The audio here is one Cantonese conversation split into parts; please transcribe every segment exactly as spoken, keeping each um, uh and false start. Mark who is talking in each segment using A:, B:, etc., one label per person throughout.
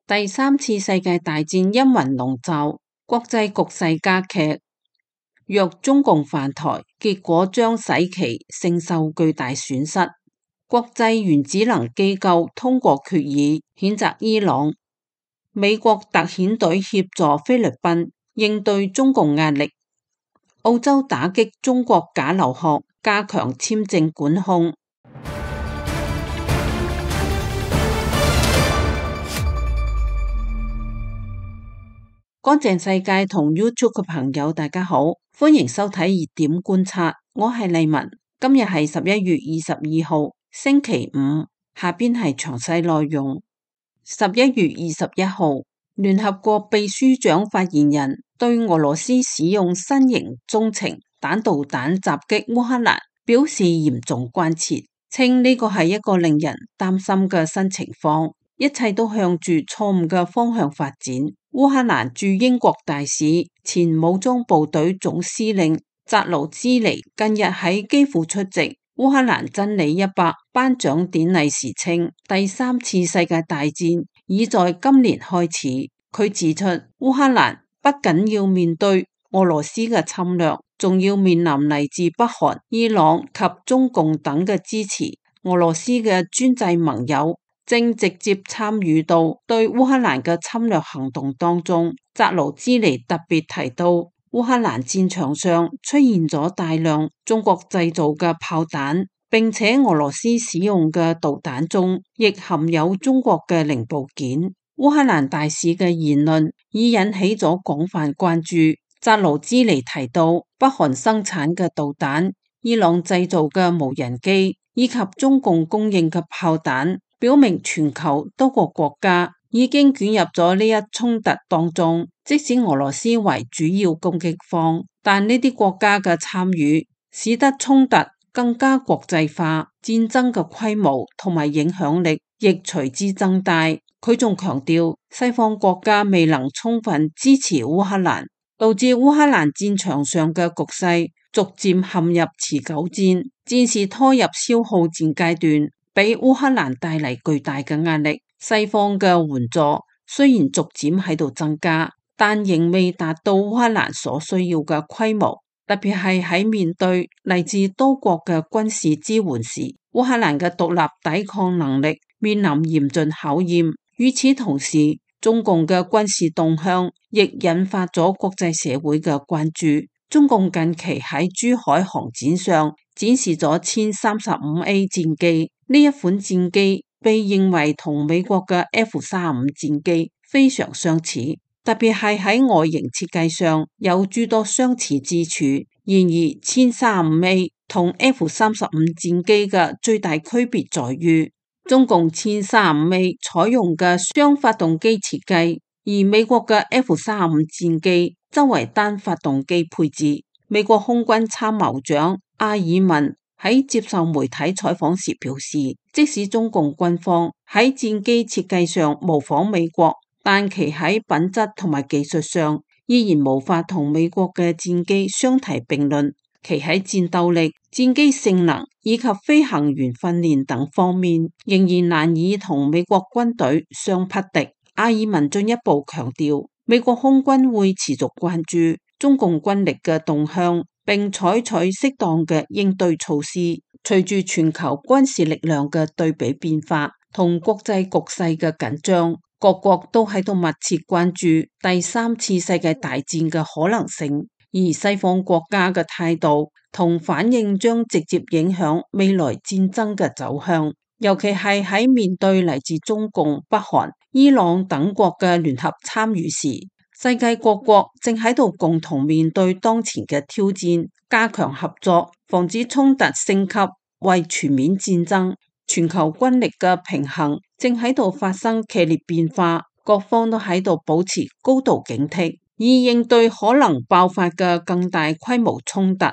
A: 第三次世界大戰陰雲籠罩，國際局勢加劇。若中共犯台，結果將使其承受巨大損失。國際原子能機構通過決議，譴責伊朗。美國特遣隊協助菲律賓應對中共壓力。澳洲打擊中國假留學，加強簽證管控。乾淨世界同 YouTube 嘅朋友大家好，歡迎收睇熱點觀察，我係麗文。今日係十一月二十二號星期五，下邊係詳細內容。十一月二十一號，聯合國秘書長發言人對俄羅斯使用新型中程彈道彈襲擊烏克蘭表示嚴重關切，稱呢個係一個令人擔心嘅新情況，一切都向住錯誤嘅方向發展。烏克蘭駐英國大使、前武裝部隊總司令扎盧茲尼近日喺基輔出席烏克蘭真理一百頒獎典禮時稱，第三次世界大戰已在今年開始。佢指出，烏克蘭不僅要面對俄羅斯嘅侵略，仲要面臨嚟自北韓、伊朗及中共等嘅支持。俄羅斯嘅專制盟友正直接參與到對烏克蘭嘅侵略行動當中。扎盧茲尼特別提到，烏克蘭戰場上出現咗大量中國製造嘅炮彈，並且俄羅斯使用嘅導彈中亦含有中國嘅零部件。烏克蘭大使嘅言論已引起咗廣泛關注。扎盧茲尼提到，北韓生產嘅導彈、伊朗製造嘅無人機以及中共供應嘅炮彈，表明全球多個國家已經捲入咗呢一衝突當中。即使俄羅斯為主要攻擊方，但呢啲國家嘅參與使得衝突更加國際化，戰爭嘅規模同埋影響力亦隨之增大。佢仲強調，西方國家未能充分支持烏克蘭，導致烏克蘭戰場上嘅局勢逐漸陷入持久戰，戰事拖入消耗戰階段，俾烏克蘭帶嚟巨大嘅壓力。西方嘅援助雖然逐漸喺度增加，但仍未達到烏克蘭所需要嘅規模，特別係喺面對嚟自多國嘅軍事支援時，烏克蘭嘅獨立抵抗能力面臨嚴峻考驗。與此同時，中共嘅軍事動向亦引發咗國際社會嘅關注。中共近期喺珠海航展上展示咗殲三十五 A 戰機，呢一款戰機被認為同美國嘅 F 三十五戰機非常相似，特別係喺外形設計上有諸多相似之處。然而，殲三十五 A 同 F 三十五戰機嘅最大區別在於，中共殲三十五 A 採用嘅雙發動機設計，而美國嘅 F 三十五戰機則為單發動機配置。美國空軍參謀長阿爾文喺接受媒體採訪時表示，即使中共軍方喺戰機設計上模仿美國，但其喺品質同埋技術上依然無法同美國嘅戰機相提並論。其喺戰鬥力、戰機性能以及飛行員訓練等方面，仍然難以同美國軍隊相匹敵。阿爾文進一步強調，美國空軍會持續關注中共軍力嘅動向，並採取適當嘅應對措施。隨住全球軍事力量嘅對比變化同國際局勢嘅緊張，各國都喺度密切關注第三次世界大戰嘅可能性。而西方國家嘅態度同反應將直接影響未來戰爭嘅走向，尤其係喺面對嚟自中共、北韓、伊朗等國嘅聯合參與時，世界各國正喺度共同面對當前嘅挑戰，加強合作，防止衝突升級為全面戰爭。全球軍力嘅平衡正喺度發生劇烈變化，各方都喺度保持高度警惕，以應對可能爆發嘅更大規模衝突。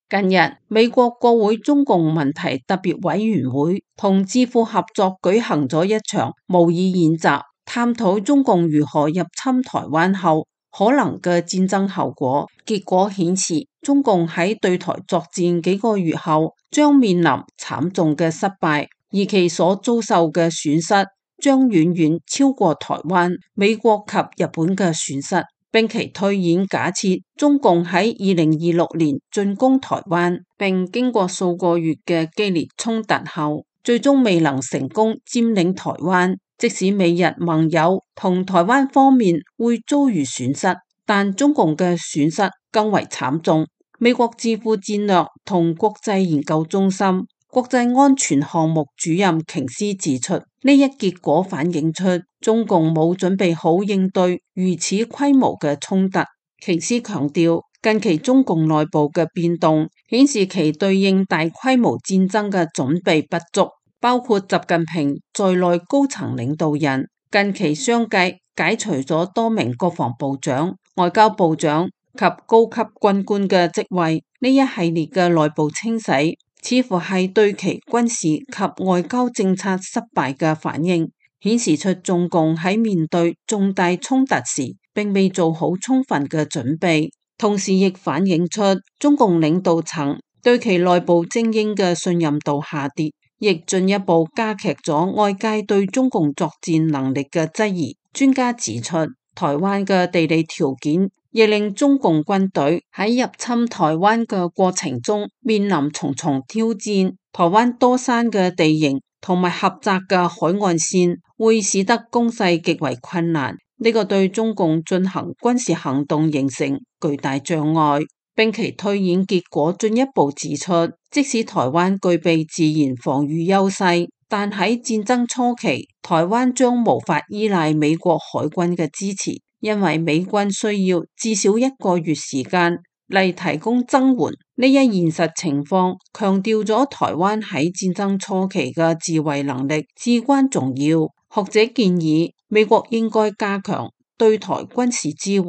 A: 近日，美國國會中共問題特別委員會同智庫合作舉行咗一場模擬演習，探討中共如何入侵台灣後可能嘅戰爭後果。結果顯示，中共喺對台作戰幾個月後將面臨慘重嘅失敗。而其所遭受嘅損失將遠遠超過台灣、美國及日本嘅損失。並其推演假設中共喺二零二六年進攻台灣，並經過數個月嘅激烈衝突後，最終未能成功佔領台灣。即使美日盟友同台灣方面會遭遇損失，但中共嘅損失更為慘重。美國智庫戰略同國際研究中心國際安全項目主任瓊斯指出，呢一結果反映出中共冇準備好應對如此規模嘅衝突。瓊斯強調，近期中共內部嘅變動顯示其對應大規模戰爭嘅準備不足，包括習近平在內高層領導人近期相繼解除咗多名國防部長、外交部長及高級軍官嘅職位。呢一系列嘅內部清洗似乎係對其軍事及外交政策失敗嘅反應，顯示出中共喺面對重大衝突時並未做好充分嘅準備，同時亦反映出中共領導層對其內部精英嘅信任度下跌，亦進一步加劇咗外界對中共作戰能力嘅質疑。專家指出，台灣嘅地理條件亦令中共軍隊喺入侵台灣嘅過程中面臨重重挑戰。台灣多山嘅地形同埋狹窄嘅海岸線會使得攻勢極為困難，呢個對中共進行軍事行動形成巨大障礙。並其推演結果進一步指出，即使台灣具備自然防禦優勢，但喺戰爭初期，台灣將無法依賴美國海軍嘅支持。因為美軍需要至少一個月時間嚟提供增援，呢一現實情況強調咗台灣喺戰爭初期嘅自衛能力至關重要。學者建議美國應該加強對台軍事支援，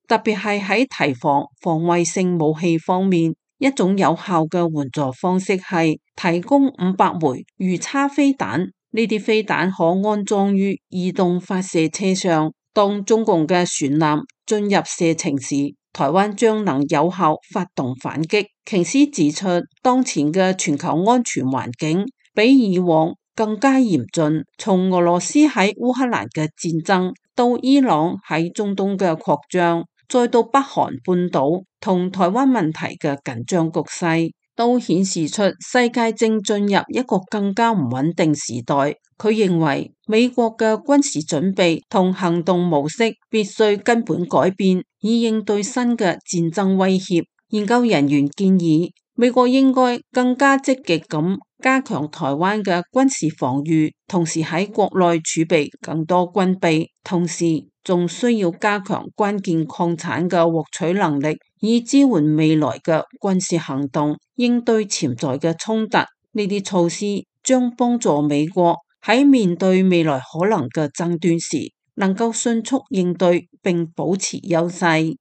A: 特別係喺提防防衛性武器方面。一種有效嘅援助方式係提供五百枚魚叉飛彈，呢啲飛彈可安裝於移動發射車上。當中共嘅船艦進入射程時，台灣將能有效發動反擊。瓊斯指出，當前嘅全球安全環境比以往更加嚴峻，從俄羅斯喺烏克蘭嘅戰爭，到伊朗喺中東嘅擴張，再到北韓半島同台灣問題嘅緊張局勢，都顯示出世界正進入一個更加唔穩定時代。佢認為美國嘅軍事準備同行動模式必須根本改變，以應對新嘅戰爭威脅。研究人員建議美國應該更加積極咁加強台灣嘅軍事防禦，同時喺國內儲備更多軍備，同時仲需要加強關鍵礦產嘅獲取能力，以支援未來嘅軍事行動，應對潛在嘅衝突。呢啲措施將幫助美國喺面對未來可能嘅爭端時，能夠迅速應對並保持優勢。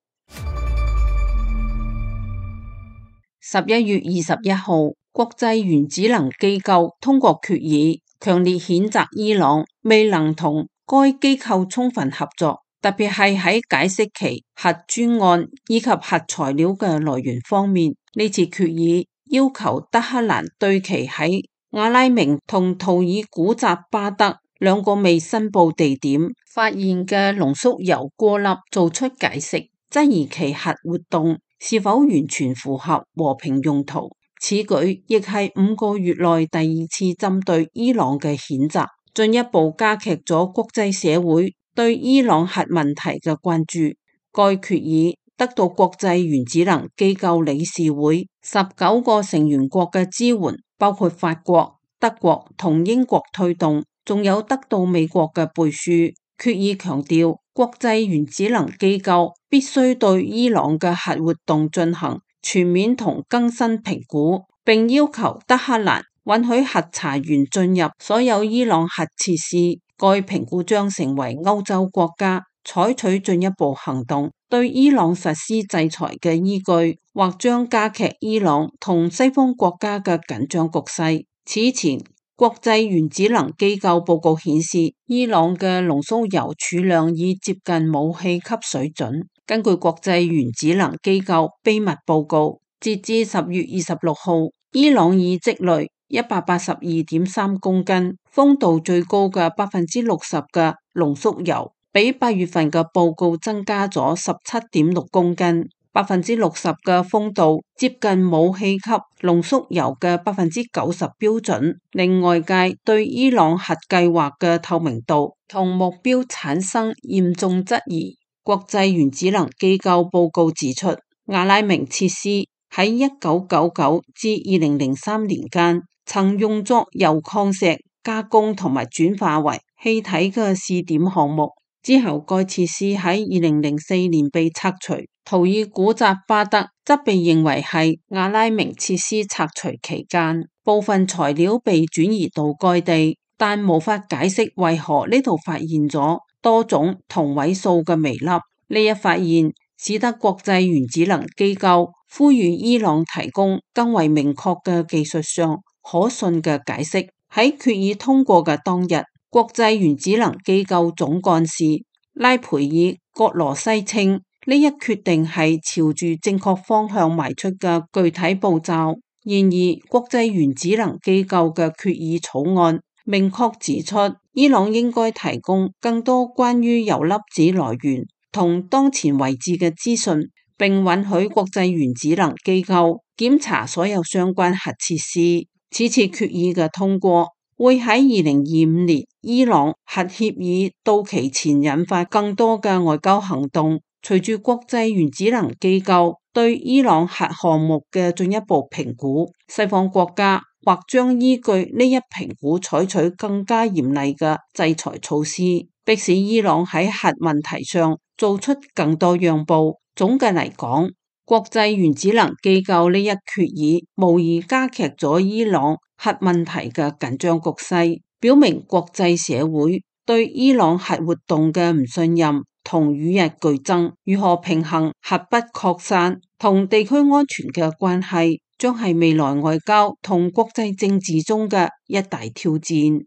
A: 十一月二十一號，國際原子能機構通過決議，強烈譴責伊朗未能同該機構充分合作，特別係喺解釋其核專案以及核材料嘅來源方面。呢次決議要求德黑蘭對其喺阿拉明同圖爾古扎巴德兩個未申報地點發現嘅濃縮鈾顆粒做出解釋，質疑其核活動是否完全符合和平用途。此舉亦係五個月內第二次針對伊朗嘅譴責，進一步加劇咗國際社會對伊朗核問題嘅關注。該決議得到國際原子能機構理事會十九個成員國嘅支援，包括法國、德國同英國推動，仲有得到美國嘅背書。決議強調，國際原子能機構必須對伊朗嘅核活動進行全面同更新評估，並要求德黑蘭允許核查員進入所有伊朗核設施。該評估將成為歐洲國家採取進一步行動對伊朗實施制裁嘅依據，或將加劇伊朗同西方國家嘅緊張局勢。此前，國際原子能機構報告顯示，伊朗嘅濃縮鈾儲量已接近武器級水準。根據國際原子能機構秘密報告，截至十月二十六號，伊朗已積累一百八十二點三公斤，豐度最高嘅百分之六十嘅濃縮鈾，比八月份嘅報告增加咗十七點六公斤。百分之六十嘅豐度接近武器級濃縮鈾嘅百分之九十標準，令外界對伊朗核計劃嘅透明度同目標產生嚴重質疑。國際原子能機構報告指出，阿拉明設施喺一九九九至二零零三年間曾用作鈾礦石加工同埋轉化為氣體嘅試點項目，之後該設施喺二零零四年被拆除。圖爾古扎巴德則被認為係阿拉明設施拆除期間部分材料被轉移到該地，但無法解釋為何呢度發現咗多種同位素嘅微粒。呢一發現使得國際原子能機構呼籲伊朗提供更為明確嘅技術上可信嘅解釋。喺決議通過嘅當日，國際原子能機構總幹事拉培爾葛羅西稱，呢一決定係朝住正確方向邁出嘅具體步驟。然而，國際原子能機構嘅決議草案明確指出，伊朗應該提供更多關於鈾粒子來源同當前位置嘅資訊，並允許國際原子能機構檢查所有相關核設施。此次決議嘅通過會喺二零二五年伊朗核協議到期前引發更多嘅外交行動。隨住國際原子能機構對伊朗核項目嘅進一步評估，西方國家或將依據呢一評估採取更加嚴厲嘅制裁措施，迫使伊朗喺核問題上做出更多讓步。總嘅嚟講，國際原子能機構呢一決議無疑加劇咗伊朗核問題嘅緊張局勢，表明國際社會對伊朗核活動嘅唔信任同與日俱增。如何平衡核不擴散同地區安全嘅關係，將係未來外交同國際政治中嘅一大挑戰。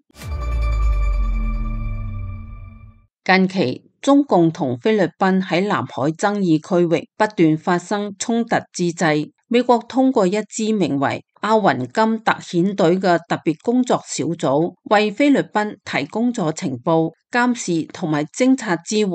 A: 近期中共同菲律賓喺南海爭議區域不斷發生衝突之際，美國通過一支名為阿雲金特遣隊嘅特別工作小組，為菲律賓提供咗情報、監視同埋偵察支援。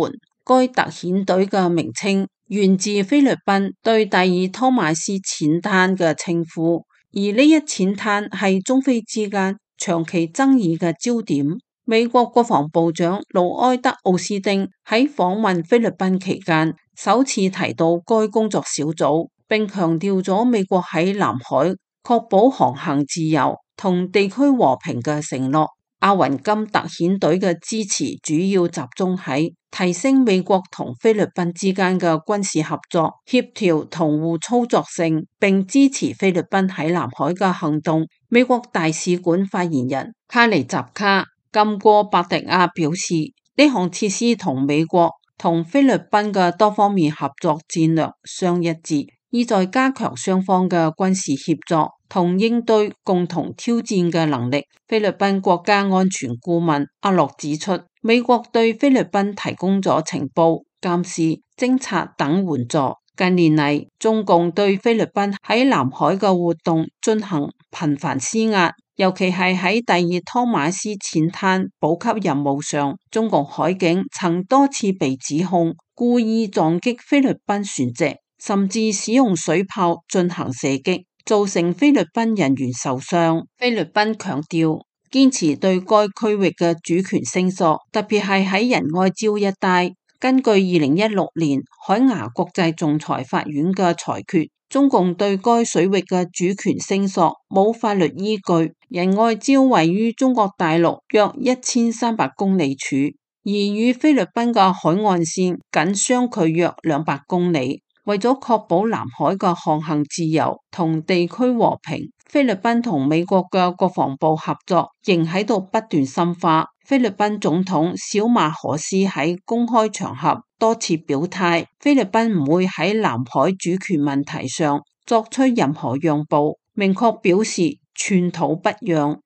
A: 該特遣隊嘅名稱源自菲律賓對第二湯馬斯淺灘嘅稱呼，而呢一淺灘係中菲之間長期爭議嘅焦點。美國國防部長盧埃德奧斯丁喺訪問菲律賓期間，首次提到該工作小組，並強調咗美國喺南海確保航行自由同地區和平嘅承諾。阿雲金特遣隊嘅支持主要集中喺提升美國同菲律賓之間嘅軍事合作、協調同互操作性，並支持菲律賓喺南海嘅行動。美國大使館發言人卡尼扎卡金戈伯迪亞表示，呢項設施同美國同菲律賓嘅多方面合作戰略相一致，意在加強雙方嘅軍事協作同應對共同挑戰嘅能力。菲律賓國家安全顧問阿洛指出，美國對菲律賓提供咗情報、監視、偵察等援助。近年嚟，中共對菲律賓喺南海嘅活動進行頻繁施壓，尤其係喺第二湯馬斯淺灘補給任務上，中共海警曾多次被指控故意撞擊菲律賓船隻，甚至使用水炮進行射擊，造成菲律賓人員受傷。菲律賓強調堅持對該區域嘅主權聲索，特別係喺仁愛礁一帶。根據二零一六年海牙國際仲裁法院嘅裁決，中共對該水域嘅主權聲索冇法律依據。仁愛礁位於中國大陸約一千三百公里處，而與菲律賓嘅海岸線僅相距約兩百公里。為咗確保南海嘅航行自由同地區和平，菲律賓同美國嘅國防部合作仍喺度不斷深化。菲律賓總統小馬可斯喺公開場合多次表態，菲律賓唔會喺南海主權問題上作出任何讓步，明確表示寸土不讓。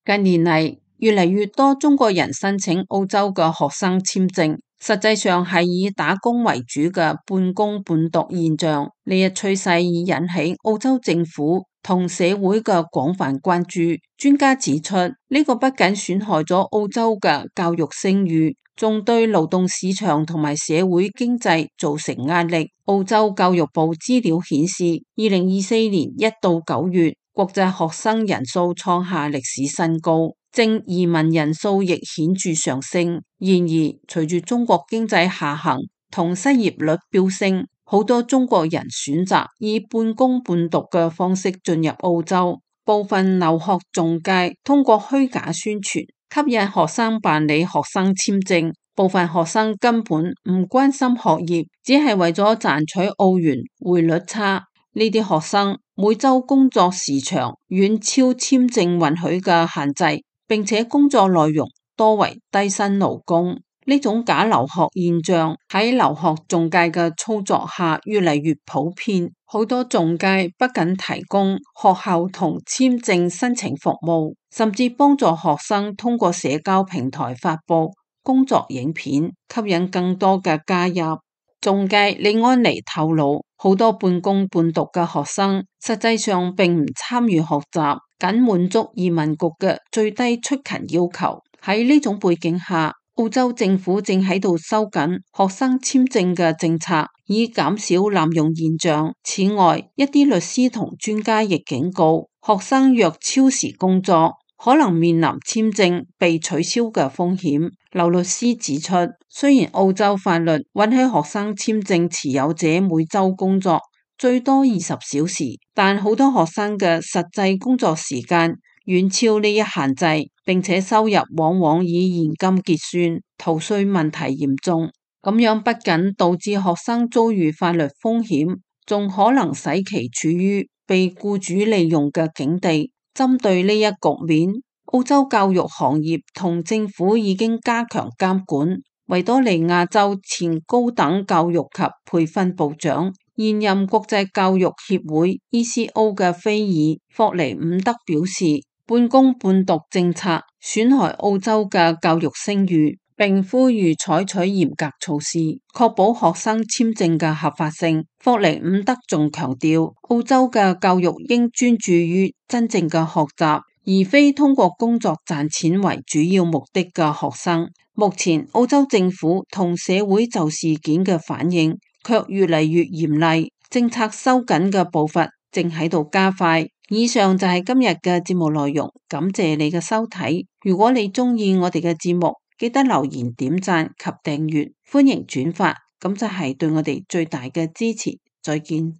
A: 近年嚟，越嚟越多中國人申請澳洲嘅學生簽證，實際上係以打工為主嘅半工半讀現象。呢一趨勢已引起澳洲政府同社會嘅廣泛關注。專家指出，呢個不僅損害咗澳洲嘅教育聲譽，仲對勞動市場同埋社會經濟造成壓力。澳洲教育部資料顯示，二零二四年一到九月，國際學生人數創下歷史新高，正移民人數亦顯著上升。然而，隨住中國經濟下行同失業率飆升，好多中國人選擇以半工半讀嘅方式進入澳洲。部分留學中介通過虛假宣傳吸引學生辦理學生簽證，部分學生根本唔關心學業，只係為咗賺取澳元匯率差。呢啲學生每周工作時長遠超簽證允許嘅限制，並且工作內容多為低薪勞工。呢種假留學現象喺留學中介嘅操作下越嚟越普遍，好多中介不僅提供學校同簽證申請服務，甚至幫助學生通過社交平台發佈工作影片，吸引更多嘅加入。中介李安妮透露，好多半工半讀嘅學生實際上並唔參與學習，僅滿足移民局嘅最低出勤要求。喺呢種背景下，澳洲政府正喺度收緊學生簽證嘅政策，以減少濫用現象。此外，一啲律師同專家亦警告，學生若超時工作，可能面臨簽證被取消嘅風險。劉律師指出，雖然澳洲法律允許學生簽證持有者每周工作最多二十小時，但好多學生嘅實際工作時間遠超呢一限制，並且收入往往以現金結算，逃稅問題嚴重。咁樣不僅導致學生遭遇法律風險，仲可能使其處於被僱主利用嘅境地。針對呢一局面，澳洲教育行業同政府已經加強監管。維多利亞州前高等教育及培訓部長、現任國際教育協會 E C O 嘅菲爾霍尼伍德表示，半工半讀政策損害澳洲嘅教育聲譽，並呼籲採取嚴格措施，確保學生簽證嘅合法性。霍尼伍德仲強調，澳洲嘅教育應專注於真正嘅學習，而非通過工作賺錢為主要目的嘅學生。目前，澳洲政府同社會就事件嘅反應卻越嚟越嚴厲，政策收緊嘅步伐正喺度加快。以上就係今日嘅節目內容，感謝你嘅收睇。如果你鍾意我哋嘅節目，記得留言、點讚及訂閱，歡迎轉發，咁就係對我哋最大嘅支持。再見。